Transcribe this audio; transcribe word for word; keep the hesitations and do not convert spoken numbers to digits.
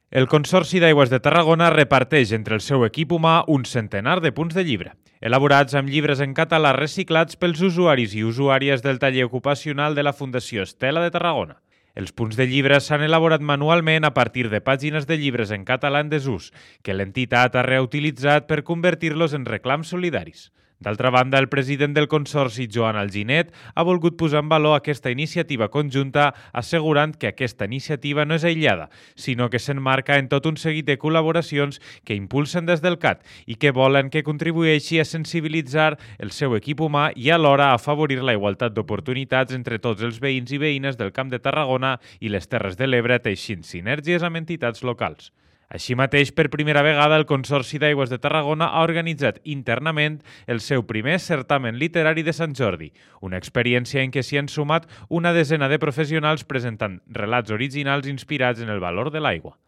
El Consorci d'Aigües de Tarragona reparteix entre el seu equip humà un centenar de punts de llibre, elaborats amb llibres en català reciclats pels usuaris i usuàries del taller ocupacional de la Fundació Estela de Tarragona. Els punts de llibre s'han elaborat manualment a partir de pàgines de llibres en català en desús, que l'entitat ha reutilitzat per convertir-los en reclams solidaris. D'altra banda, el president del Consorci, Joan Alginet, ha volgut posar en valor aquesta iniciativa conjunta, assegurant que aquesta iniciativa no és aïllada, sinó que s'emmarca en tot un seguit de col·laboracions que impulsen des del C A T i que volen que contribueixi a sensibilitzar el seu equip humà i alhora a afavorir la igualtat d'oportunitats entre tots els veïns i veïnes del Camp de Tarragona i les Terres de l'Ebre, teixint sinergies amb entitats locals. Així mateix, per primera vegada, el Consorci d'Aigües de Tarragona ha organitzat internament el seu primer certamen literari de Sant Jordi, una experiència en què s'hi han sumat una desena de professionals presentant relats originals inspirats en el valor de l'aigua.